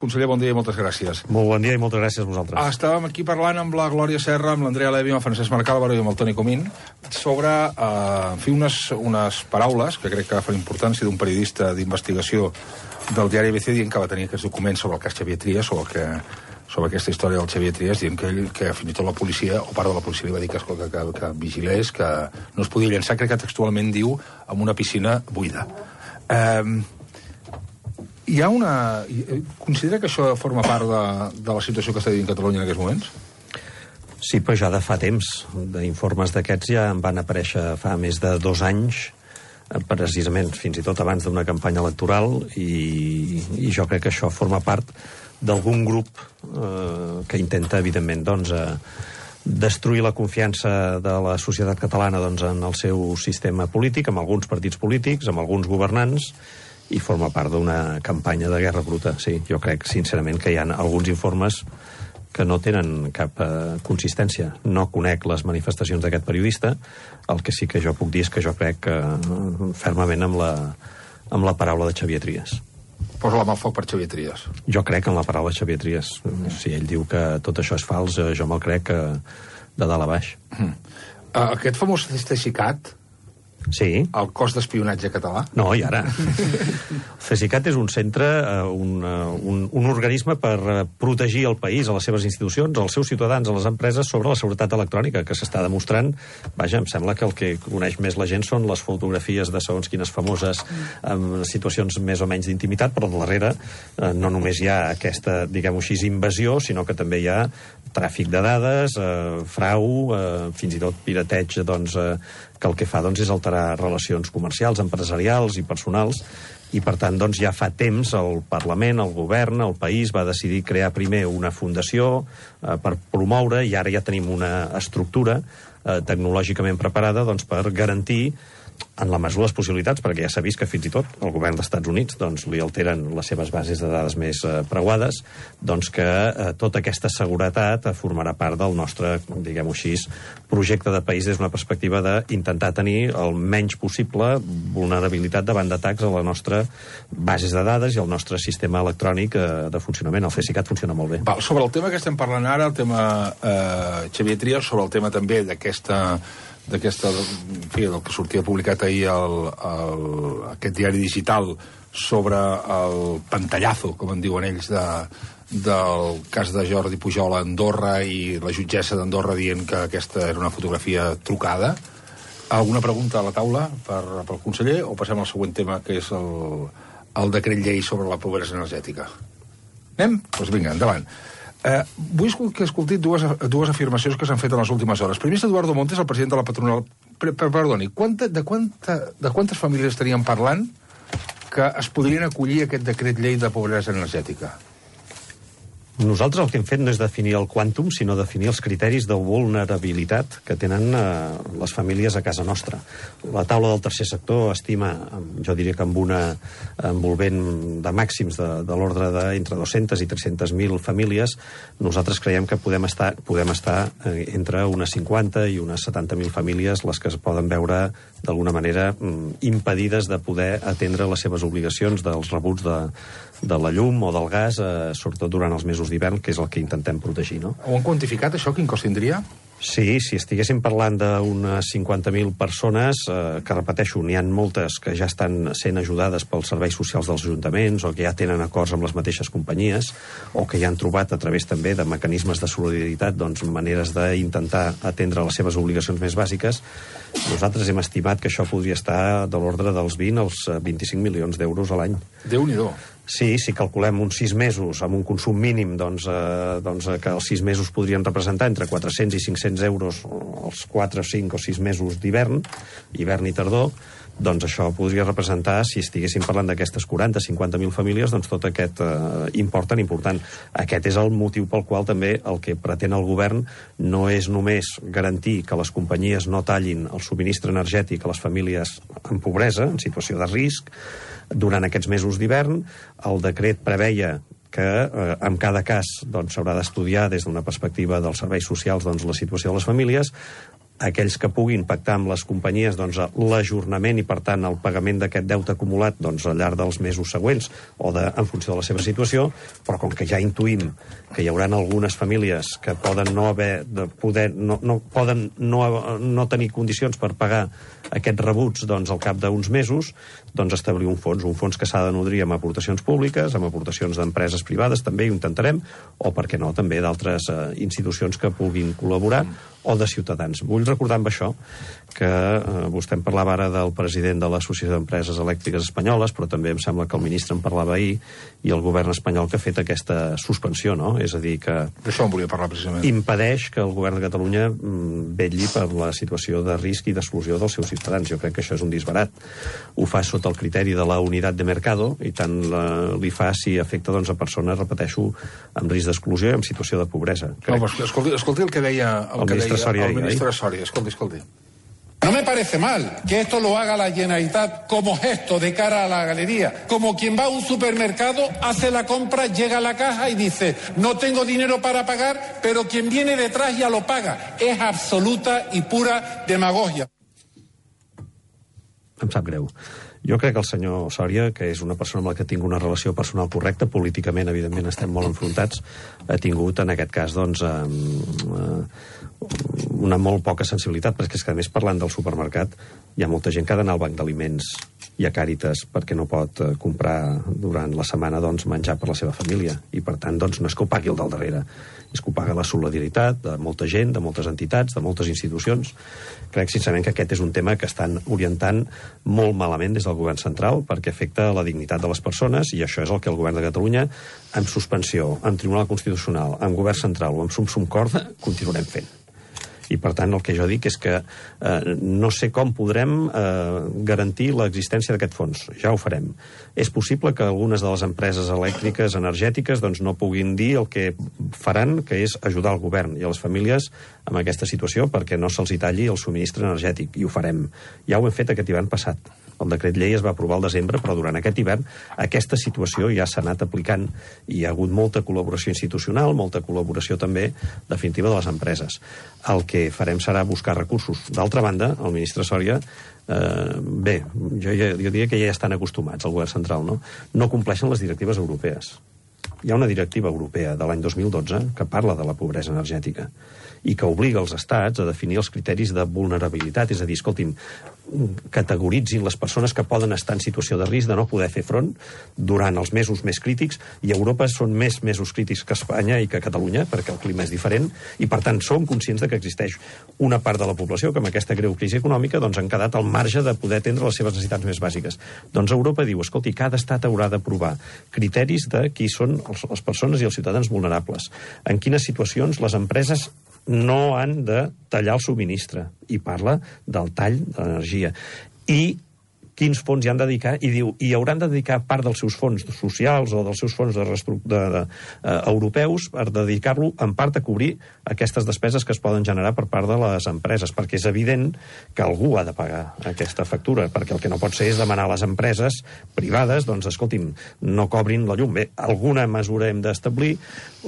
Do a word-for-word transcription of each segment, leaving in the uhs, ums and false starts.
Conseller, bon dia i moltes gràcies. Molt bon dia i moltes gràcies a vosaltres. Ah, estàvem aquí parlant amb la Glòria Serra, amb l'Andrea Levy, amb el Francesc Marc Álvaro i amb el Toni Comín sobre, eh, en fi, unes, unes paraules que crec que agafen importància d'un periodista d'investigació del diari A B C dient que va tenir aquests documents sobre el cas Xavier Trias, sobre, que, sobre aquesta història del Xavier Trias, dient que, ell, que fins i tot la policia, o part de la policia li va dir que, que, que, que vigilés, que no es podia llançar, crec que textualment diu, en una piscina buida. Eh... Hi ha una... Considera que això forma part de, de la situació que està vivint Catalunya en aquests moments? Sí, però ja de fa temps. D'informes d'aquests ja en van aparèixer fa més de dos anys, precisament, fins i tot abans d'una campanya electoral, i, i jo crec que això forma part d'algun grup eh, que intenta, evidentment, doncs, eh, destruir la confiança de la societat catalana doncs, en el seu sistema polític, amb alguns partits polítics, amb alguns governants, i forma part d'una campanya de guerra bruta. Sí, jo crec, sincerament, que hi ha alguns informes que no tenen cap eh, consistència. No conec les manifestacions d'aquest periodista. El que sí que jo puc dir és que jo crec que, eh, fermament amb la, amb la paraula de Xavier Trias. Posa la mà al foc per Xavier Trias. Jo crec en la paraula de Xavier Trias. Mm. Si ell diu que tot això és fals, eh, jo me'l crec que de dalt a baix. Mm. Uh, aquest famós CESICAT, sí. El cos d'espionatge català? No, i ara. El CESICAT és un centre, un, un, un organisme per protegir el país, a les seves institucions, als seus ciutadans, a les empreses, sobre la seguretat electrònica, que s'està demostrant. Vaja, em sembla que el que coneix més la gent són les fotografies de segons quines famoses en situacions més o menys d'intimitat, però darrere no només hi ha aquesta, diguem-ho així, invasió, sinó que també hi ha tràfic de dades, eh, frau, eh, fins i tot pirateig, doncs, eh, que el que fa doncs, és alterar relacions comercials, empresarials i personals, i per tant doncs, ja fa temps el Parlament, el Govern, el país va decidir crear primer una fundació eh, per promoure, i ara ja tenim una estructura eh, tecnològicament preparada doncs, per garantir, en la mesura de les possibilitats, perquè ja s'ha vist que fins i tot el govern dels Estats Units doncs, li alteren les seves bases de dades més eh, preuades, doncs que eh, tota aquesta seguretat eh, formarà part del nostre, diguem-ho així, projecte de país des d'una perspectiva d'intentar tenir el menys possible vulnerabilitat davant d'atacs a la nostra bases de dades i al nostre sistema electrònic eh, de funcionament. El CESICAT funciona molt bé. Val, sobre el tema que estem parlant ara, el tema eh, Xavier Trias, sobre el tema també d'aquesta d'aquesta, en fi, del que sortia publicat ahir el, el, aquest diari digital sobre el pantallazo, com en diuen ells, de, del cas de Jordi Pujol a Andorra i la jutgessa d'Andorra dient que aquesta era una fotografia trucada. Alguna pregunta a la taula per, pel conseller o passem al següent tema, que és el, el decret llei sobre la pobresa energètica? Anem? Doncs vinga, endavant. Eh, vull que escolti dues, dues afirmacions que s'han fet en les últimes hores. Primer és Eduardo Montes, el president de la patronal. Per, per, perdoni, quanta, de, quanta, de quantes famílies estaríem parlant que es podrien acollir a aquest decret llei de pobresa energètica? Nosaltres el que hem fet no és definir el quàntum, sinó definir els criteris de vulnerabilitat que tenen eh, les famílies a casa nostra. La taula del tercer sector estima, jo diria que amb una envolvent de màxims de, de l'ordre d'entre dues-centes i tres-centes mil famílies. Nosaltres creiem que podem estar, podem estar eh, entre unes cinquanta i unes setanta mil famílies les que es poden veure d'alguna manera impedides de poder atendre les seves obligacions dels rebuts de, de la llum o del gas, eh, sobretot durant els mesos d'hivern, que és el que intentem protegir, no? Ho han quantificat, això? Quin cost tindria? Sí, si estiguéssim parlant d'unes cinquanta mil persones, eh, que repeteixo, n'hi ha moltes que ja estan sent ajudades pels serveis socials dels ajuntaments o que ja tenen acords amb les mateixes companyies o que ja han trobat a través també de mecanismes de solidaritat doncs, maneres d'intentar atendre les seves obligacions més bàsiques. Nosaltres hem estimat que això podria estar de l'ordre dels vint als vint-i-cinc milions d'euros a l'any. Déu-n'hi-do. Sí, si calculem uns sis mesos amb un consum mínim, doncs, eh, doncs que els sis mesos podrien representar entre quatre-cents i cinc-cents euros els quatre, cinc o sis mesos d'hivern, hivern i tardor, doncs això podria representar, si estiguéssim parlant d'aquestes quaranta a cinquanta mil famílies, doncs tot aquest eh, import tan important. Aquest és el motiu pel qual també el que pretén el govern no és només garantir que les companyies no tallin el subministre energètic a les famílies en pobresa, en situació de risc, durant aquests mesos d'hivern. El decret preveia que eh, en cada cas doncs, s'haurà d'estudiar des d'una perspectiva dels serveis socials doncs, la situació de les famílies. aquells que puguin pactar amb les companyies doncs, l'ajornament i, per tant, el pagament d'aquest deute acumulat doncs, al llarg dels mesos següents o de, en funció de la seva situació, però com que ja intuïm que hi haurà algunes famílies que poden no haver de poder, no, no, poden no, no tenir condicions per pagar aquests rebuts doncs, al cap d'uns mesos, doncs establir un fons, un fons que s'ha de nodrir amb aportacions públiques, amb aportacions d'empreses privades, també ho intentarem, o, per què no, també d'altres eh, institucions que puguin col·laborar, o de ciutadans. Vull recordar amb això que eh, vostè em parlava ara del president de l'Associació d'Empreses Elèctriques Espanyoles, però també em sembla que el ministre en parlava ahir, i el govern espanyol que ha fet aquesta suspensió, no? És a dir, que d'això en volia parlar precisament. Impedeix que el govern de Catalunya mm, vetlli per la situació de risc i d'exclusió dels seus ciutadans. Jo crec que això és un disbarat. Ho fa sota el criteri de la unitat de mercado, i tant la, li fa si afecta doncs, a persones, repeteixo, amb risc d'exclusió i en situació de pobresa. Crec. No, escolti, escolti el que deia el, el que ministre deia Soria. El ministre Soria. Escolti, escolti. No me parece mal que esto lo haga la Generalitat como gesto de cara a la galería. Como quien va a un supermercado, hace la compra, llega a la caja y dice, no tengo dinero para pagar, pero quien viene detrás ya lo paga. Es absoluta y pura demagogia. Em sap greu. Jo crec que el senyor Soria, que és una persona amb la que tinc una relació personal correcta, políticament, evidentment, estem molt enfrontats, ha tingut, en aquest cas, doncs, eh, una molt poca sensibilitat, perquè és que, a més, parlant del supermercat, hi ha molta gent que ha d'anar al banc d'aliments i a Càritas perquè no pot eh, comprar durant la setmana doncs, menjar per la seva família. I, per tant, doncs, no és que ho pagui el del darrere, és que ho paga la solidaritat de molta gent, de moltes entitats, de moltes institucions. Crec, sincerament, que aquest és un tema que estan orientant molt malament des del govern central perquè afecta la dignitat de les persones, i això és el que el govern de Catalunya, amb suspensió, amb Tribunal Constitucional, amb govern central o amb sum-sum corda, continuarem fent. I, per tant, el que jo dic és que eh, no sé com podrem eh, garantir l'existència d'aquest fons. Ja ho farem. És possible que algunes de les empreses elèctriques, energètiques, doncs no puguin dir el que faran, que és ajudar el govern i a les famílies amb aquesta situació perquè no se'ls hi talli el subministre energètic. I ho farem. Ja ho hem fet aquest hivern passat. El decret llei es va aprovar al desembre, però durant aquest hivern aquesta situació ja s'ha anat aplicant i hi ha hagut molta col·laboració institucional, molta col·laboració també definitiva de les empreses. El que farem serà buscar recursos. D'altra banda, el ministre Soria, eh, bé, jo, jo diria que ja estan acostumats al govern central, no? No compleixen les directives europees. Hi ha una directiva europea de l'any dos mil dotze que parla de la pobresa energètica i que obliga els estats a definir els criteris de vulnerabilitat, és a dir, escoltin, categoritzin les persones que poden estar en situació de risc de no poder fer front durant els mesos més crítics, i a Europa són més mesos crítics que Espanya i que Catalunya, perquè el clima és diferent, i per tant som conscients de que existeix una part de la població que amb aquesta greu crisi econòmica doncs, han quedat al marge de poder atendre les seves necessitats més bàsiques. Doncs Europa diu, escolti, cada estat haurà d'aprovar criteris de qui són les persones i els ciutadans vulnerables, en quines situacions les empreses no han de tallar el subministre, i parla del tall de l'energia. I quins fons hi han de dedicar, i diu, i hauran de dedicar part dels seus fons socials o dels seus fons de, de, de, uh, europeus per dedicar-lo en part a cobrir aquestes despeses que es poden generar per part de les empreses, perquè és evident que algú ha de pagar aquesta factura, perquè el que no pot ser és demanar a les empreses privades, doncs, escolti'm, no cobrin la llum. Bé, alguna mesura hem d'establir,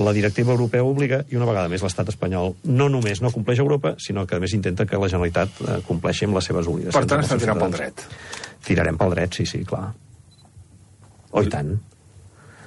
la directiva europea obliga, i una vegada més l'estat espanyol no només no compleix Europa, sinó que a més intenta que la Generalitat uh, compleixi amb les seves obligacions. Per tant, estan tirant pel dret. Tirarem pel dret, sí, sí, clar. Oh, i tant.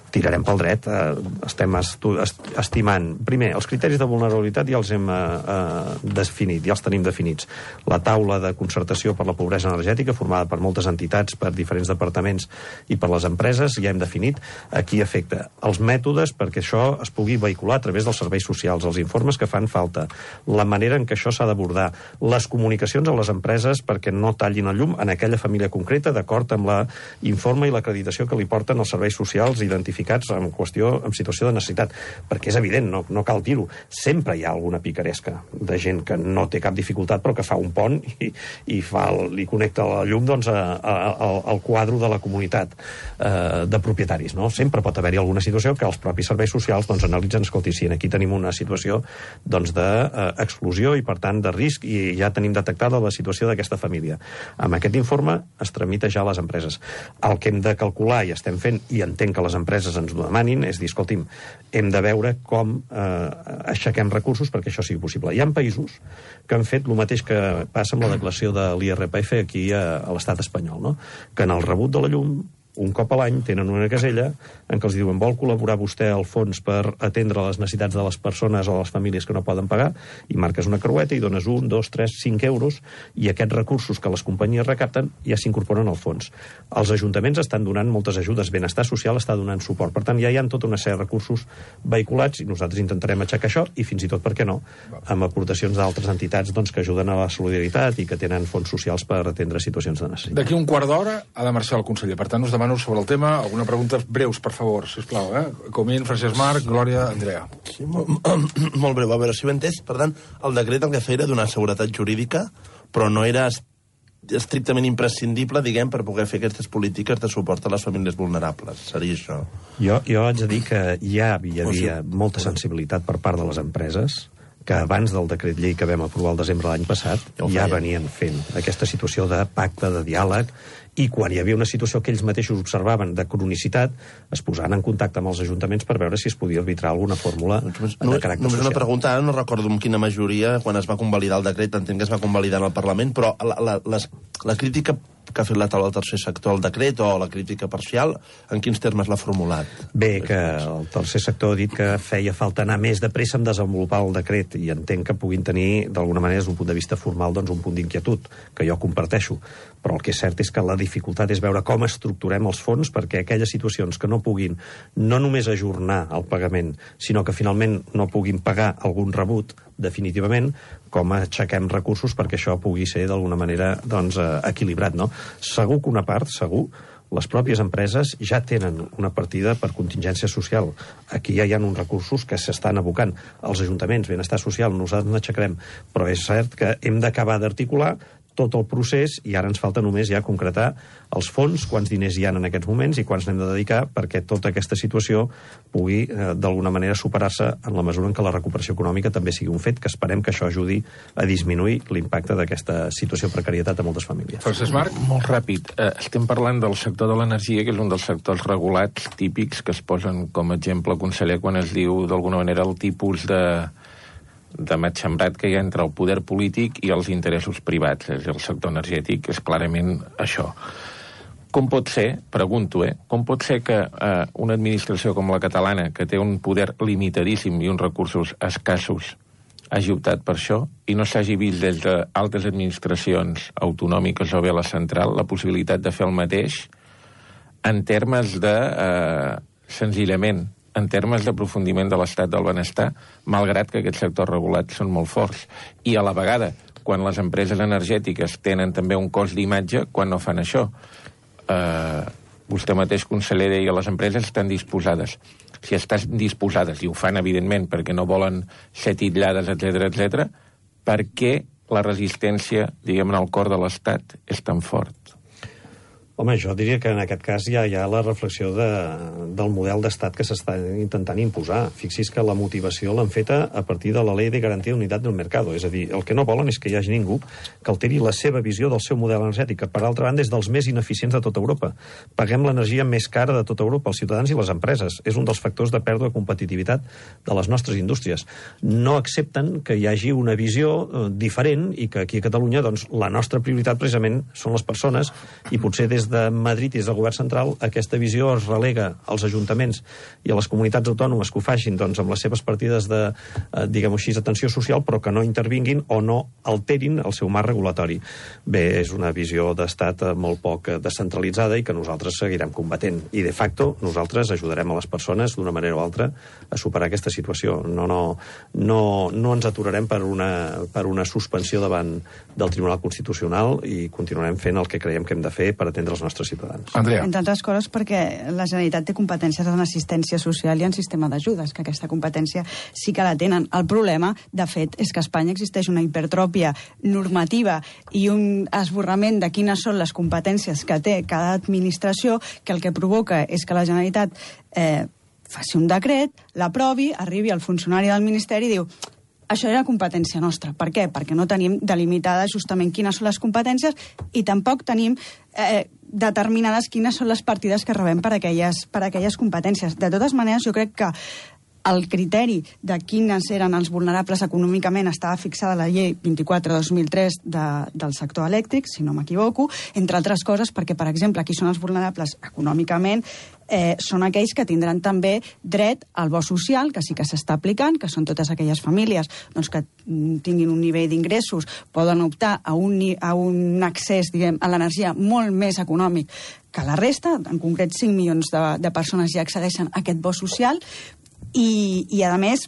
Tirarem pel dret. Eh, estem estimant... Primer, els criteris de vulnerabilitat ja els hem eh, definit, ja els tenim definits. La taula de concertació per la pobresa energètica, formada per moltes entitats, per diferents departaments i per les empreses, ja hem definit a qui afecta. Els mètodes perquè això es pugui vehicular a través dels serveis socials, els informes que fan falta, la manera en què això s'ha d'abordar, les comunicacions a les empreses perquè no tallin el llum en aquella família concreta, d'acord amb l'informe i l'acreditació que li porten els serveis socials identificats en qüestió, en situació de necessitat, perquè és evident, no, no cal dir-ho, sempre hi ha alguna picaresca de gent que no té cap dificultat però que fa un pont i, i fa el, li connecta la llum doncs, a, a, a, al quadre de la comunitat eh, de propietaris, no? Sempre pot haver-hi alguna situació que els propis serveis socials doncs, analitzen, escolti, si aquí tenim una situació doncs, d'exclusió i per tant de risc i ja tenim detectada la situació d'aquesta família. Amb aquest informe es tramita ja a les empreses. El que hem de calcular i estem fent, i entenc que les empreses empreses ens ho demanin, és dir, escolti'm, hem de veure com eh, aixequem recursos perquè això sigui possible. Hi ha països que han fet el mateix que passa amb la declaració de l'I R P F aquí a, a l'estat espanyol, no? Que en el rebut de la llum, un cop a l'any, tenen una casella en què els diuen vol col·laborar vostè al fons per atendre les necessitats de les persones o les famílies que no poden pagar, i marques una creueta i dones un, dos, tres, cinc euros, i aquests recursos que les companyies recapten ja s'incorporen al fons. Els ajuntaments estan donant moltes ajudes, Benestar Social està donant suport. Per tant, ja hi ha tota una sèrie de recursos vehiculats i nosaltres intentarem aixecar això i fins i tot, per què no, amb aportacions d'altres entitats doncs, que ajuden a la solidaritat i que tenen fons socials per atendre situacions de necessitat. D'aquí un quart d'hora ha de marxar el conseller. Per tant, us demano sobre el tema alguna pregunta breus, per favor, sisplau, eh? Comín, Francesc Marc, Glòria, Andrea. Sí, molt, molt breu. A veure, si ho he entès, per tant, el decret el que feia era donar seguretat jurídica, però no era estrictament imprescindible, diguem, per poder fer aquestes polítiques de suport a les famílies vulnerables. Seria això. Jo, jo haig de dir que ja hi havia molta sensibilitat per part de les empreses que abans del decret llei que vam aprovar el desembre de l'any passat ja, ja venien fent aquesta situació de pacte, de diàleg, i quan hi havia una situació que ells mateixos observaven de cronicitat, es posaven en contacte amb els ajuntaments per veure si es podia arbitrar alguna fórmula no, de caràcter només social. Una pregunta, ara no recordo amb quina majoria, quan es va convalidar el decret, entenc que es va convalidar en el Parlament, però la, la, les, la crítica que ha fet la taula del tercer sector al decret, o la crítica parcial, en quins termes l'ha formulat? Bé, que el tercer sector ha dit que feia falta anar més de pressa en desenvolupar el decret, i entenc que puguin tenir, d'alguna manera, des d'un punt de vista formal, doncs, un punt d'inquietud, que jo comparteixo. Però el que és cert és que la dificultat és veure com estructurem els fons perquè aquelles situacions que no puguin no només ajornar el pagament, sinó que finalment no puguin pagar algun rebut, definitivament, com aixequem recursos perquè això pugui ser d'alguna manera doncs, equilibrat, no? Segur que una part, segur, les pròpies empreses ja tenen una partida per contingència social. Aquí ja hi ha uns recursos que s'estan abocant. Els ajuntaments, benestar social, nosaltres n'aixecarem, però és cert que hem d'acabar d'articular tot el procés i ara ens falta només ja concretar els fons, quants diners hi ha en aquests moments i quants n'hem de dedicar perquè tota aquesta situació pugui eh, d'alguna manera superar-se en la mesura en què la recuperació econòmica també sigui un fet, que esperem que això ajudi a disminuir l'impacte d'aquesta situació de precarietat a moltes famílies. Francesc Marc? Molt ràpid. Eh, estem parlant del sector de l'energia, que és un dels sectors regulats típics que es posen com a exemple, conseller, quan es diu d'alguna manera el tipus de de matxembrat que hi ha entre el poder polític i els interessos privats. És el sector energètic, és clarament això. Com pot ser, pregunto, eh, com pot ser que eh, una administració com la catalana, que té un poder limitadíssim i uns recursos escassos, hagi optat per això i no s'hagi vist des d'altres administracions autonòmiques o bé a la central la possibilitat de fer el mateix en termes de, eh, senzillament, en termes d'aprofundiment de l'estat del benestar, malgrat que aquests sectors regulats són molt forts. I a la vegada, quan les empreses energètiques tenen també un cost d'imatge, quan no fan això. Eh, vostè mateix, conseller, deia, les empreses estan disposades. Si estan disposades, i ho fan, evidentment, perquè no volen ser titllades, etcètera, etcètera, per què la resistència, diguem, en el cor de l'estat és tan fort? Home, jo diria que en aquest cas ja hi ha la reflexió de, del model d'estat que s'està intentant imposar. Fixi's que la motivació l'han feta a partir de la Ley de Garantía de Unidad del Mercado. És a dir, el que no volen és que hi hagi ningú que alteri la seva visió del seu model energètic, que per altra banda és dels més ineficients de tota Europa. Paguem l'energia més cara de tota Europa, els ciutadans i les empreses. És un dels factors de pèrdua de competitivitat de les nostres indústries. No accepten que hi hagi una visió eh, diferent i que aquí a Catalunya doncs, la nostra prioritat precisament són les persones i potser des de Madrid i des del govern central aquesta visió es relega als ajuntaments i a les comunitats autònomes que ho facin doncs, amb les seves partides de, eh, diguem-ho així, atenció social, però que no intervinguin o no alterin el seu marc regulatori. Bé, és una visió d'estat molt poc descentralitzada i que nosaltres seguirem combatent. I, de facto, nosaltres ajudarem a les persones, d'una manera o altra, a superar aquesta situació. No, no, no, no ens aturarem per una, per una suspensió davant del Tribunal Constitucional i continuarem fent el que creiem que hem de fer per atendre els nostres ciutadans. Andrea. Entre altres coses perquè la Generalitat té competències en assistència social i en sistema d'ajudes, que aquesta competència sí que la tenen. El problema, de fet, és que a Espanya existeix una hipertròpia normativa i un esborrament de quines són les competències que té cada administració, que el que provoca és que la Generalitat eh, faci un decret, l'aprovi, arribi al funcionari del Ministeri i diu això era competència nostra. Per què? Perquè no tenim delimitada justament quines són les competències i tampoc tenim eh, determinades quines són les partides que rebem per aquelles, per aquelles competències. De totes maneres, jo crec que el criteri de quines eren els vulnerables econòmicament estava fixada a la llei vint-i-quatre dos mil tres de, del sector elèctric, si no m'equivoco, entre altres coses perquè, per exemple, qui són els vulnerables econòmicament eh, són aquells que tindran també dret al bo social, que sí que s'està aplicant, que són totes aquelles famílies doncs, que tinguin un nivell d'ingressos, poden optar a un, a un accés diguem, a l'energia molt més econòmic que la resta, en concret cinc milions de, de persones ja accedeixen a aquest bo social, I, i a més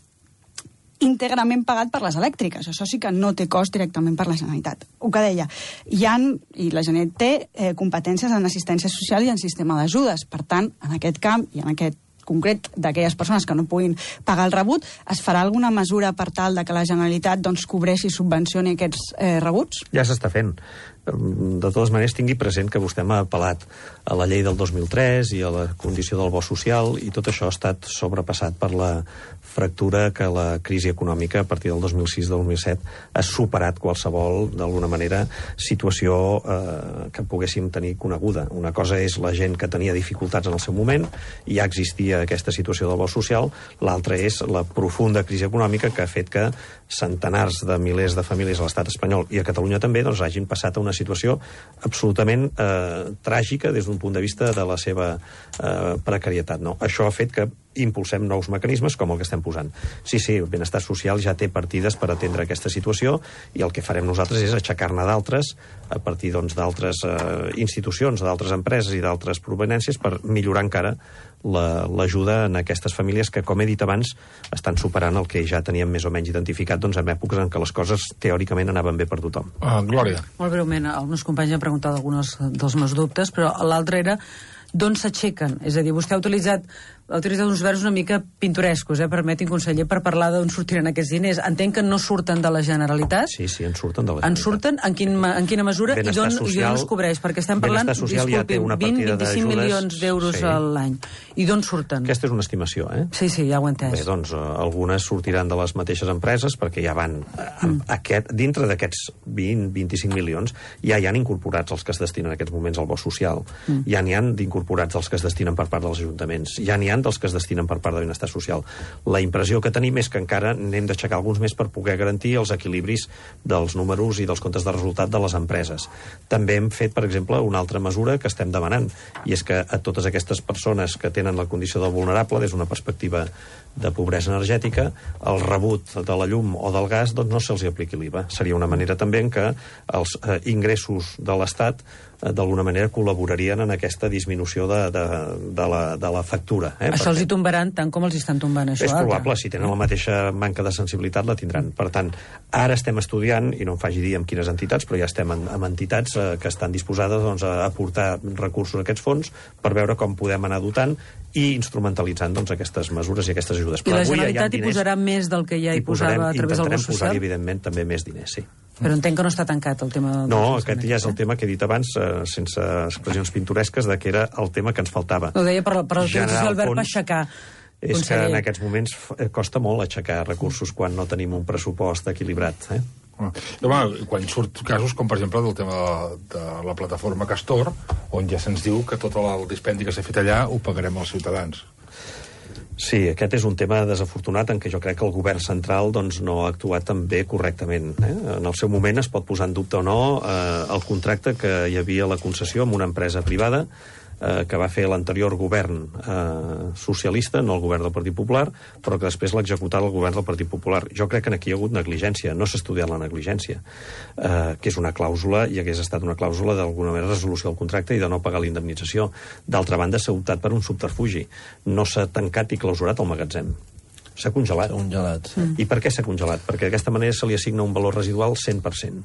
íntegrament pagat per les elèctriques. Això sí que no té cost directament per la Generalitat. El que deia, hi ha, i la Generalitat té eh, competències en assistència social i en sistema d'ajudes. Per tant, en aquest camp i en aquest concret d'aquelles persones que no puguin pagar el rebut, es farà alguna mesura per tal de que la Generalitat doncs, cobreixi i subvencioni aquests eh, rebuts? Ja s'està fent. De totes maneres, tingui present que vostè m'ha apel·lat a la llei del dos mil tres i a la condició del bo social, i tot això ha estat sobrepassat per la fractura que la crisi econòmica a partir del dos mil sis dos mil set ha superat qualsevol, d'alguna manera, situació eh, que poguéssim tenir coneguda. Una cosa és la gent que tenia dificultats en el seu moment, i ja existia aquesta situació del bo social, l'altra és la profunda crisi econòmica que ha fet que centenars de milers de famílies a l'estat espanyol i a Catalunya també doncs, hagin passat a una situació absolutament eh, tràgica des d'un punt de vista de la seva eh, precarietat. No? Això ha fet que impulsem nous mecanismes com el que estem posant. Sí, sí, el benestar social ja té partides per atendre aquesta situació i el que farem nosaltres és aixecar-ne d'altres a partir doncs, d'altres eh, institucions, d'altres empreses i d'altres provenències per millorar encara l'ajuda la, en aquestes famílies que, com he dit abans, estan superant el que ja teníem més o menys identificat doncs, en èpoques en què les coses teòricament anaven bé per tothom. Uh, Glòria. Molt breument, els meus companys han preguntat alguns dels meus dubtes, però l'altre era d'on s'aixequen? És a dir, vostè ha utilitzat, ha utilitzat uns verbs una mica pintorescos, eh, permetin, conseller, per parlar d'on sortiran aquests diners. Entenc que no surten de la Generalitat? Sí, sí, en surten de la Generalitat. En surten? En, quin, en quina mesura? I d'on es cobreix? Perquè estem parlant, disculpi, ja vint a vint-i-cinc milions d'euros sí. a l'any. I d'on surten? Aquesta és una estimació, eh? Sí, sí, ja ho he entès. Bé, doncs, uh, algunes sortiran de les mateixes empreses, perquè ja van... Uh, mm. aquest, dintre d'aquests vint a vint-i-cinc milions, ja hi han incorporats els que es destinen en aquests moments al bo social. Mm. Ja n'hi han d'incorporats els que es destinen per part dels ajuntaments. Ja n'hi han dels que es destinen per part de benestar social. La impressió que tenim és que encara n'hem d'aixecar alguns més per poder garantir els equilibris dels números i dels comptes de resultat de les empreses. També hem fet, per exemple, una altra mesura que estem demanant, i és que a totes aquestes persones que tenen la condició de vulnerable des d'una perspectiva de pobresa energètica, el rebut de la llum o del gas doncs no se'ls apliqui l'I V A. Seria una manera també en què els eh, ingressos de l'Estat eh, d'alguna manera col·laborarien en aquesta disminució de, de, de, la, de la factura. Eh? Això els hi tombaran tant com els estan tombant això. És probable, si tenen la mateixa manca de sensibilitat la tindran. Per tant, ara estem estudiant, i no em faci dir amb quines entitats, però ja estem en, amb entitats eh, que estan disposades doncs, a aportar recursos a aquests fons per veure com podem anar dotant i instrumentalitzant doncs, aquestes mesures i aquestes ajudes. I la Generalitat hi posarà més del que ja hi posava a través del bo social? Intentarem posar-hi, evidentment, també més diners, sí. Però entenc que no està tancat el tema... No, aquest ja és el tema que he dit abans, eh, sense expressions pintoresques, de que era el tema que ens faltava. Ho deia per, per utilitzar el verb aixecar. És conseller. Que en aquests moments costa molt aixecar recursos quan no tenim un pressupost equilibrat, eh? Home, quan surt casos com, per exemple, del tema de la plataforma Castor, on ja se'ns diu que tot el dispendi que s'ha fet allà ho pagarem als ciutadans. Sí, aquest és un tema desafortunat en què jo crec que el govern central doncs, no ha actuat tan bé correctament. Eh? En el seu moment es pot posar en dubte o no eh, el contracte que hi havia a la concessió amb una empresa privada eh, que va fer l'anterior govern eh, socialista, no el govern del Partit Popular, però que després l'ha executat el govern del Partit Popular. Jo crec que aquí hi ha hagut negligència, no s'ha estudiat la negligència, eh, que és una clàusula, i hagués estat una clàusula d'alguna manera de resolució del contracte i de no pagar la indemnització. D'altra banda, s'ha optat per un subterfugi. No s'ha tancat i clausurat el magatzem. S'ha congelat. congelat sí. I per què s'ha congelat? Perquè d'aquesta manera se li assigna un valor residual cent per cent.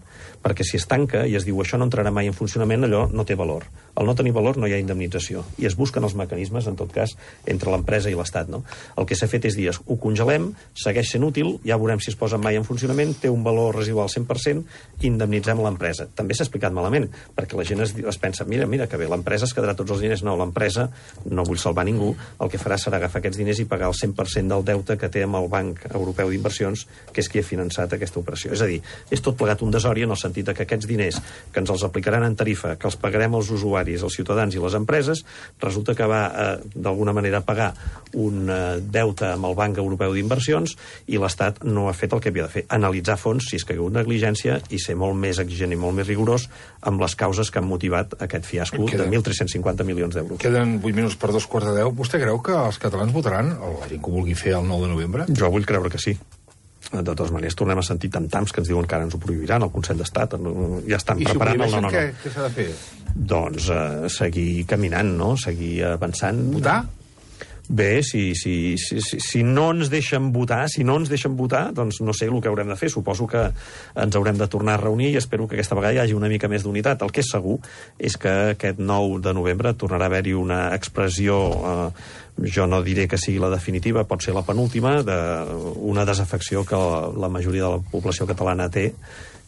Perquè si es tanca i es diu això no entrarà mai en funcionament, allò no té valor. Al no tenir valor no hi ha indemnització. I es busquen els mecanismes, en tot cas, entre l'empresa i l'Estat. No? El que s'ha fet és dir, ho congelem, segueix sent útil, ja veurem si es posa mai en funcionament, té un valor residual cent per cent, indemnitzem l'empresa. També s'ha explicat malament, perquè la gent es, es pensa, mira, mira, que bé, l'empresa es quedarà tots els diners. No, l'empresa, no vull salvar ningú, el que farà serà agafar aquests diners i pagar el cent per cent del deute que que té amb el Banc Europeu d'Inversions, que és qui ha finançat aquesta operació. És a dir, és tot plegat un desori en el sentit que aquests diners que ens els aplicaran en tarifa, que els pagarem als usuaris, als ciutadans i les empreses, resulta que va eh, d'alguna manera pagar un eh, deute amb el Banc Europeu d'Inversions i l'Estat no ha fet el que havia de fer, analitzar fons si és que hi ha hagut negligència i ser molt més exigent i molt més rigorós amb les causes que han motivat aquest fiasco de mil tres-cents cinquanta milions d'euros. Queden vuit minuts per dos quarts de deu. Vostè creu que els catalans votaran, o la gent que ho vulgui fer el nou de novembre? Jo vull creure que sí. De totes maneres, tornem a sentir tam-tams que ens diuen que ara ens ho prohibiran, el Consell d'Estat, ja estan I preparant si el no, no, no. Què, què s'ha de fer? Doncs eh, seguir caminant, no? Seguir avançant. Votar? Bé, si, si, si, si, si no ens deixen votar, si no ens deixen votar, doncs no sé el que haurem de fer. Suposo que ens haurem de tornar a reunir i espero que aquesta vegada hi hagi una mica més d'unitat. El que és segur és que aquest nou de novembre tornarà a haver-hi una expressió, eh, jo no diré que sigui la definitiva, pot ser la penúltima, d'una desafecció que la, la majoria de la població catalana té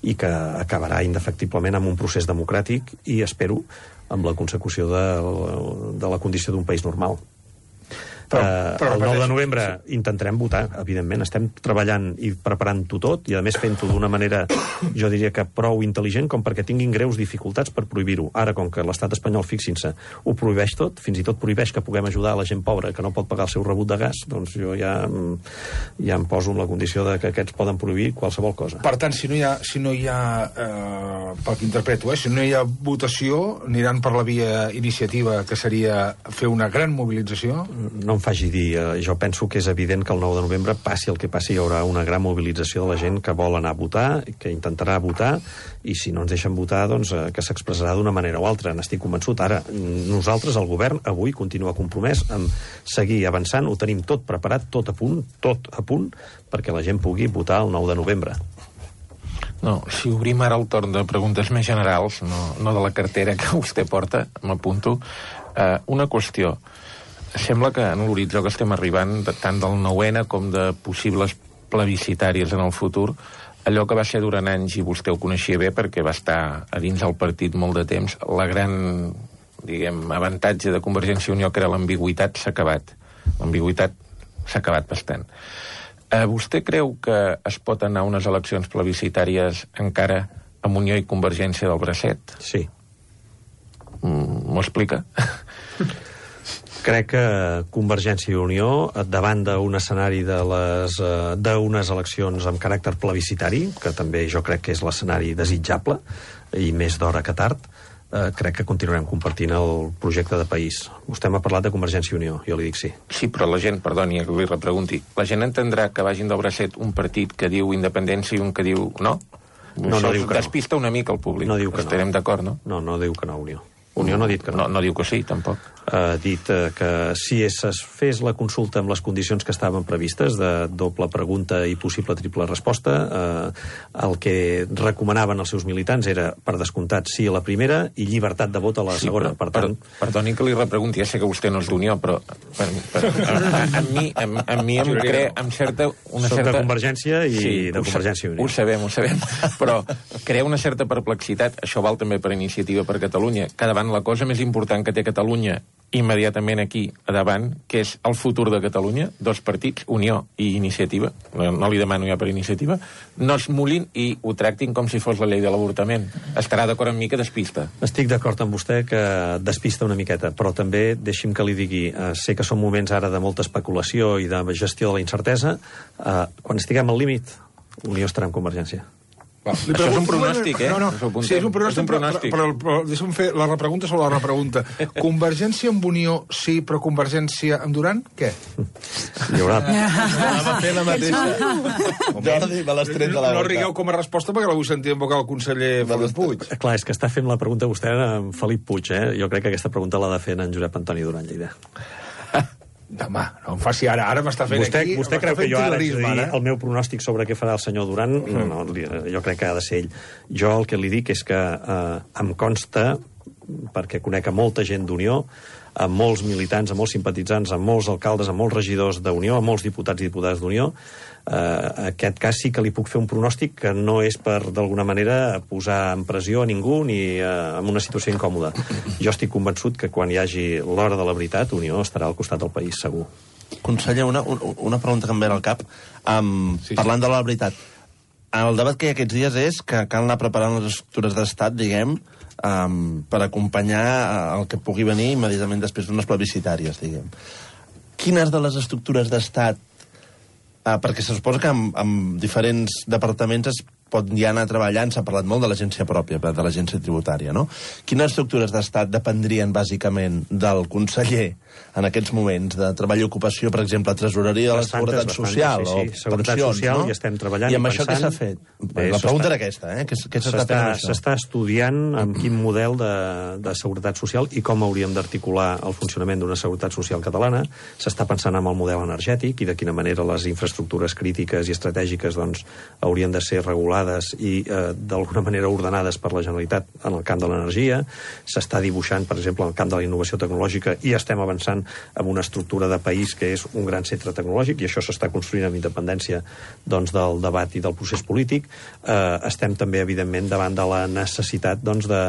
i que acabarà indefectiblement amb un procés democràtic i, espero, amb la consecució de, de la condició d'un país normal. Però, però, el nou de novembre sí. Intentarem votar, evidentment. Estem treballant i preparant-ho tot, i a més fent-ho d'una manera, jo diria que prou intel·ligent, com perquè tinguin greus dificultats per prohibir-ho. Ara, com que l'estat espanyol, fixin-se, ho prohibeix tot, fins i tot prohibeix que puguem ajudar a la gent pobra que no pot pagar el seu rebut de gas, doncs jo ja, ja em poso en la condició de que aquests poden prohibir qualsevol cosa. Per tant, si no hi ha, si no hi ha eh, pel que interpreto, eh, si no hi ha votació, aniran per la via iniciativa, que seria fer una gran mobilització? No em faci dir, eh, jo penso que és evident que el nou de novembre, passi el que passi, hi haurà una gran mobilització de la gent que vol anar a votar, que intentarà votar, i si no ens deixen votar, doncs eh, que s'expressarà d'una manera o altra. N'estic convençut. Ara, nosaltres, el govern, avui continua compromès amb seguir avançant, ho tenim tot preparat, tot a punt, tot a punt, perquè la gent pugui votar el nou de novembre. No, si obrim ara el torn de preguntes més generals, no, no de la cartera que vostè porta, m'apunto, eh, una qüestió. Sembla que en l'horitzó que estem arribant, tant del nou ene com de possibles plebiscitàries en el futur, allò que va ser durant anys, i vostè ho coneixia bé perquè va estar a dins del partit molt de temps, la gran, diguem, avantatge de Convergència i Unió, que era l'ambigüitat, s'ha acabat. L'ambigüitat s'ha acabat bastant. Eh, vostè creu que es pot anar a unes eleccions plebiscitàries encara amb Unió i Convergència del bracet? Sí. Mm, m'ho explica? Crec que Convergència i Unió, davant d'un escenari de les eh, d'unes eleccions amb caràcter plebiscitari, que també jo crec que és l'escenari desitjable, i més d'hora que tard, eh, crec que continuarem compartint el projecte de país. Vostè m'ha parlat de Convergència i Unió, jo li dic sí. Sí, però la gent, perdoni que li repregunti, la gent entendrà que vagin del bracet un partit que diu independència i un que diu no? No, no diu que no. Despista una mica el públic. No diu que no. Estarem d'acord, no? No, no diu que no, Unió. Unió no ha dit que no. No, no diu que sí, tampoc. Ha dit eh, que si es fes la consulta amb les condicions que estaven previstes, de doble pregunta i possible triple resposta, eh, el que recomanaven els seus militants era, per descomptat, sí a la primera i llibertat de vot a la sí, segona. Però, per tant... per, perdoni que li repregunti, ja sé que vostè no és d'Unió, però per, per, a, a, a, mi, a, a mi em crea amb certa... Una Soc certa... de Convergència i sí, de Convergència i Unió. Ho sabem, ho sabem, però crea una certa perplexitat, això val també per Iniciativa per Catalunya, que davant la cosa més important que té Catalunya immediatament aquí a davant, que és el futur de Catalunya, dos partits, Unió i Iniciativa, no, no li demano ja per Iniciativa, no es mulin i ho tractin com si fos la llei de l'avortament. Estarà d'acord amb mi que despista. Estic d'acord amb vostè que despista una miqueta, però també deixi'm que li digui, eh, sé que són moments ara de molta especulació i de gestió de la incertesa, eh, quan estiguem al límit, Unió estarà en Convergència. Va, això és un pronòstic, eh? No, no, sí, és un pronòstic, és un pronòstic. però, però, però deixa'm fer la repregunta sobre la repregunta. Convergència amb Unió, sí, però Convergència amb Duran, què? Hi haurà... Anava a fer la mateixa. Jordi, me l'has tret de la boca. No rigueu com a resposta perquè la vull sentir en boca del conseller Felip Puig. Clar, és que està fent la pregunta vostè amb Felip Puig, eh? Jo crec que aquesta pregunta l'ha de fer en Josep Antoni Duran Lleida. Home, no em faci ara, ara m'està fent vostè, aquí... Vostè creu que jo ara, dir, ara el meu pronòstic sobre què farà el senyor Duran, mm. no, jo crec que ha de ser ell. Jo el que li dic és que eh, em consta, perquè conec a molta gent d'Unió, a molts militants, a molts simpatitzants, a molts alcaldes, a molts regidors d'Unió, a molts diputats i diputades d'Unió, Uh, aquest cas sí que li puc fer un pronòstic que no és per, d'alguna manera, posar en pressió a ningú ni uh, en una situació incòmoda. Jo estic convençut que quan hi hagi l'hora de la veritat, Unió estarà al costat del país, segur. Conseller, una, una pregunta que em ve al cap. Um, sí, sí. Parlant de la veritat, el debat que hi ha aquests dies és que cal anar preparant les estructures d'estat, diguem, um, per acompanyar el que pugui venir immediatament després d'unes plebiscitàries, diguem. Quines de les estructures d'estat, uh, perquè se suposa que amb, amb diferents departaments es pot ja anar treballant, s'ha parlat molt de l'agència pròpia, de l'agència tributària, no? Quines estructures d'estat dependrien bàsicament del conseller en aquests moments, de treball i ocupació, per exemple, tresoreria de la Seguretat Social sí, sí. o Seguretat pensions, Social, no? I estem treballant i amb i això pensant... què s'ha fet? Bé, la pregunta era aquesta, eh? Què s'està fent amb això? S'està estudiant amb quin model de, de seguretat social i com hauríem d'articular el funcionament d'una seguretat social catalana. S'està pensant en el model energètic i de quina manera les infraestructures crítiques i estratègiques doncs, haurien de ser regulades i eh, d'alguna manera ordenades per la Generalitat en el camp de l'energia. S'està dibuixant, per exemple, en el camp de la innovació tecnològica i estem avançant en una estructura de país que és un gran centre tecnològic i això s'està construint amb independència doncs, del debat i del procés polític. Eh, estem també, evidentment, davant de la necessitat doncs, de,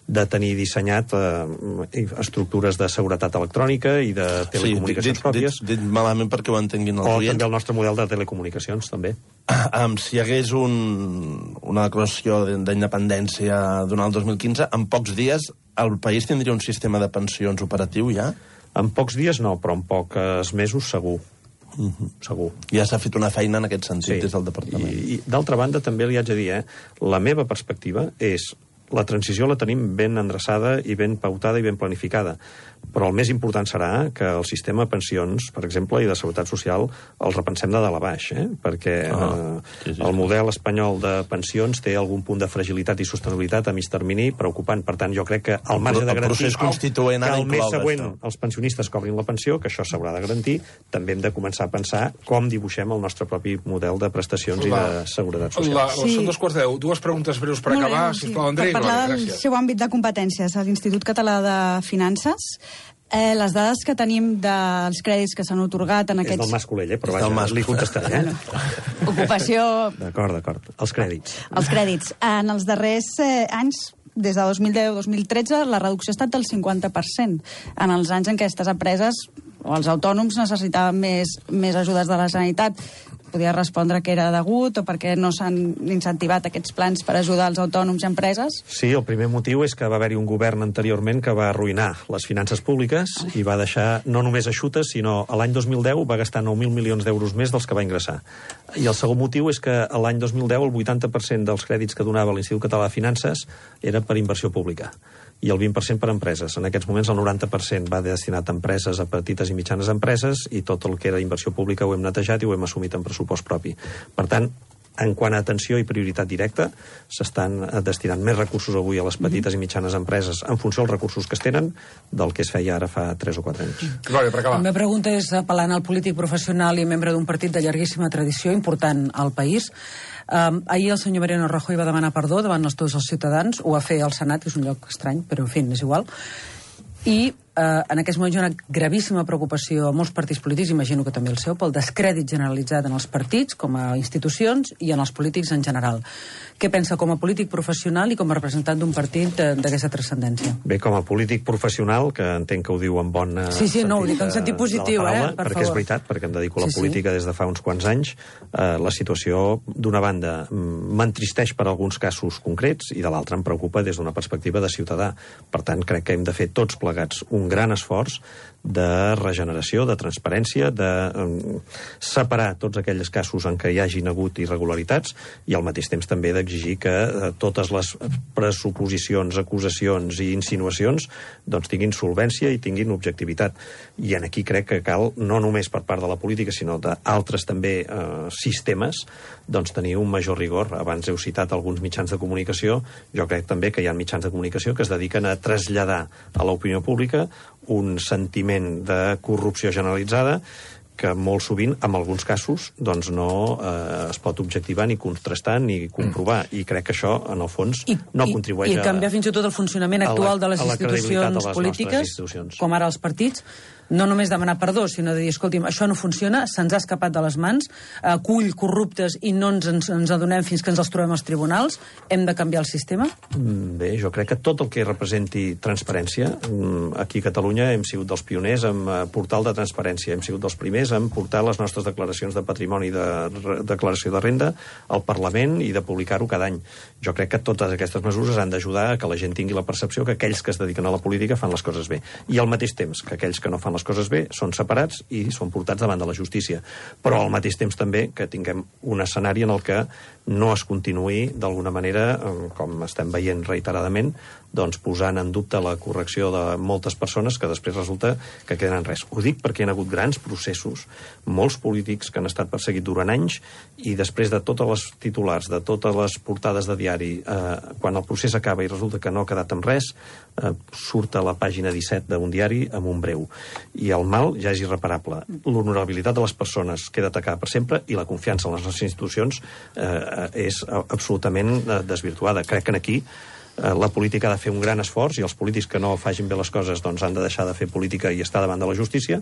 de tenir dissenyat eh, estructures de seguretat electrònica i de telecomunicacions sí, dit, pròpies. Dit, dit malament perquè ho entenguin els o oients. també el nostre model de telecomunicacions, també. Um, si hi hagués un, una declaració d'independència durant el dos mil quinze, en pocs dies el país tindria un sistema de pensions operatiu ja? En pocs dies no, però en pocs mesos segur. Uh-huh. Segur. Ja s'ha fet una feina en aquest sentit sí. des del departament. I, i d'altra banda, també li haig de dir, eh, la meva perspectiva és la transició la tenim ben endreçada i ben pautada i ben planificada. Però el més important serà que el sistema de pensions, per exemple, i de seguretat social, el repensem de dalt a baix, eh? perquè ah, eh, sí, sí, el model espanyol de pensions té algun punt de fragilitat i sostenibilitat a mig termini preocupant. Per tant, jo crec que al marge de garantir el constituent que el mes següent això. Els pensionistes cobrin la pensió, que això s'haurà de garantir, també hem de començar a pensar com dibuixem el nostre propi model de prestacions la, i de seguretat social. La, sí. Són dos quarts deu. Dues preguntes breus per Molt acabar, bé, sisplau, sí. Andrei. Per parlar vale, del seu àmbit de competències, a l'Institut Català de Finances, Eh, les dades que tenim dels crèdits que s'han otorgat en aquests... És del Mas Colell, eh? Però vaja, li contestaré. Eh? Ocupació... D'acord, d'acord. Els crèdits. Els crèdits. En els darrers eh, anys, des de dos mil deu a dos mil tretze, la reducció ha estat del cinquanta per cent. En els anys en què aquestes empreses o els autònoms necessitaven més, més ajudes de la Generalitat. Podia respondre que era degut o perquè no s'han incentivat aquests plans per ajudar els autònoms i empreses? Sí, el primer motiu és que va haver-hi un govern anteriorment que va arruïnar les finances públiques i va deixar no només eixutes, sinó a l'any dos mil deu va gastar nou mil milions d'euros més dels que va ingressar. I el segon motiu és que a l'any dos mil deu el vuitanta per cent dels crèdits que donava l'Institut Català de Finances era per inversió pública i el vint per cent per empreses. En aquests moments el noranta per cent va destinat a empreses, a petites i mitjanes empreses, i tot el que era inversió pública ho hem netejat i ho hem assumit en pressupost propi. Per tant, en quant a atenció i prioritat directa, s'estan destinant més recursos avui a les petites i mitjanes empreses en funció dels recursos que es tenen del que es feia ara fa tres o quatre anys. Glòria, per acabar. La meva pregunta és, apel·lant al polític professional i membre d'un partit de llarguíssima tradició, important al país. Um, ahir el senyor Mariano Rajoy va demanar perdó davant els tots els ciutadans, ho va fer al Senat, que és un lloc estrany, però en fi, és igual. I eh, en aquests moments hi ha una gravíssima preocupació a molts partits polítics, imagino que també el seu, pel descrèdit generalitzat en els partits com a institucions i en els polítics en general. Què pensa com a polític professional i com a representant d'un partit d'aquesta transcendència? Bé, com a polític professional, que entenc que ho diu en bon sí, sí, no, ho dic en sentit positiu, paraula, eh, per perquè favor. És veritat, perquè em dedico a la sí, política sí. des de fa uns quants anys. Eh, la situació, d'una banda, m'entristeix per alguns casos concrets i de l'altra em preocupa des d'una perspectiva de ciutadà. Per tant, crec que hem de fer tots plegats un gran esforç de regeneració, de transparència, de um, separar tots aquells casos en què hi hagin hagut irregularitats i al mateix temps també d'exigir que uh, totes les pressuposicions, acusacions i insinuacions doncs tinguin solvència i tinguin objectivitat. I en aquí crec que cal, no només per part de la política, sinó d'altres també uh, sistemes, doncs tenir un major rigor. Abans heu citat alguns mitjans de comunicació, jo crec també que hi ha mitjans de comunicació que es dediquen a traslladar a l'opinió pública un sentiment de corrupció generalitzada que molt sovint, en alguns casos, doncs no eh, es pot objectivar ni contrastar ni comprovar. I crec que això, en el fons, I, no i, contribueix i canviar fins i tot el funcionament actual la, de les institucions de les polítiques, institucions. com ara els partits. no només demanar perdó, sinó de dir, escolti'm, això no funciona, se'ns ha escapat de les mans, acull corruptes i no ens, ens, ens adonem fins que ens els trobem als tribunals, hem de canviar el sistema? Bé, jo crec que tot el que representi transparència, aquí a Catalunya hem sigut dels pioners en portal de transparència, hem sigut dels primers en portar les nostres declaracions de patrimoni i de declaració de renda al Parlament i de publicar-ho cada any. Jo crec que totes aquestes mesures han d'ajudar a que la gent tingui la percepció que aquells que es dediquen a la política fan les coses bé. I al mateix temps que aquells que no fan les coses bé són separats i són portats davant de la justícia. Però al mateix temps també que tinguem un escenari en el que no es continuï d'alguna manera, com estem veient reiteradament, doncs posant en dubte la correcció de moltes persones que després resulta que queden en res. Ho dic perquè hi ha hagut grans processos, molts polítics que han estat perseguits durant anys i després de totes les titulars, de totes les portades de diari, eh, quan el procés acaba i resulta que no ha quedat amb res, eh, surt a la pàgina disset d'un diari amb un breu. I el mal ja és irreparable. L'honorabilitat de les persones queda atacada per sempre i la confiança en les nostres institucions eh, és absolutament desvirtuada. Crec que aquí la política ha de fer un gran esforç i els polítics que no facin bé les coses doncs han de deixar de fer política i estar davant de la justícia,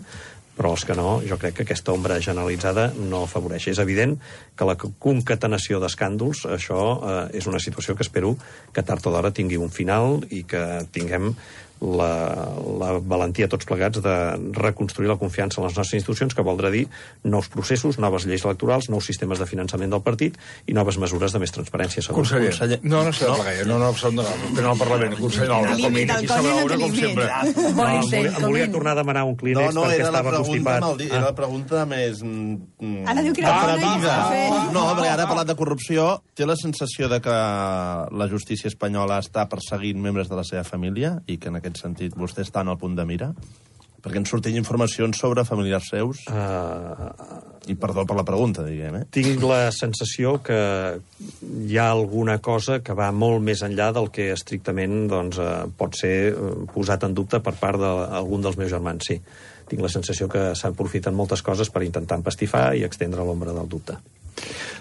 però els que no, jo crec que aquesta ombra generalitzada no afavoreix. És evident que la concatenació d'escàndols, això eh, és una situació que espero que tard o d'hora tingui un final i que tinguem la, la valentia tots plegats de reconstruir la confiança en les nostres institucions, que voldrà dir nous processos, noves lleis electorals, nous sistemes de finançament del partit i noves mesures de més transparència. Conseller, conseller. no, no s'ha de plegar, no, no, no, no, no, al Parlament, conseller, no, el Comín, aquí s'ha veure com sempre. No, volia, volia tornar a demanar un Kleenex no, no, perquè estava constipat. No, era la pregunta més... Mm, ara diu que era atrevida. No, perquè ara ha parlat de corrupció. Té la sensació de que la justícia espanyola està perseguint membres de la seva família i que en aquest sentit vostè està en el punt de mira? Perquè ens sortien informacions sobre familiars seus. Uh, I perdó per la pregunta, diguem, eh? Tinc la sensació que hi ha alguna cosa que va molt més enllà del que estrictament doncs, uh, pot ser posat en dubte per part d'algun dels meus germans, sí. Tinc la sensació que s'aprofiten moltes coses per intentar empastifar i extendre l'ombra del dubte.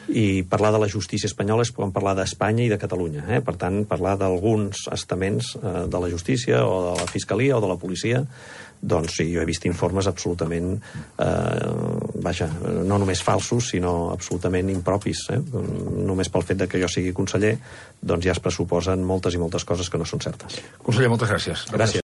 I parlar de la justícia espanyola és com parlar d'Espanya i de Catalunya. Eh? Per tant, parlar d'alguns estaments eh, de la justícia o de la fiscalia o de la policia, doncs sí, jo he vist informes absolutament, eh, vaja, no només falsos, sinó absolutament impropis. Eh? Només pel fet de que jo sigui conseller, doncs ja es pressuposen moltes i moltes coses que no són certes. Conseller, moltes gràcies. Gràcies.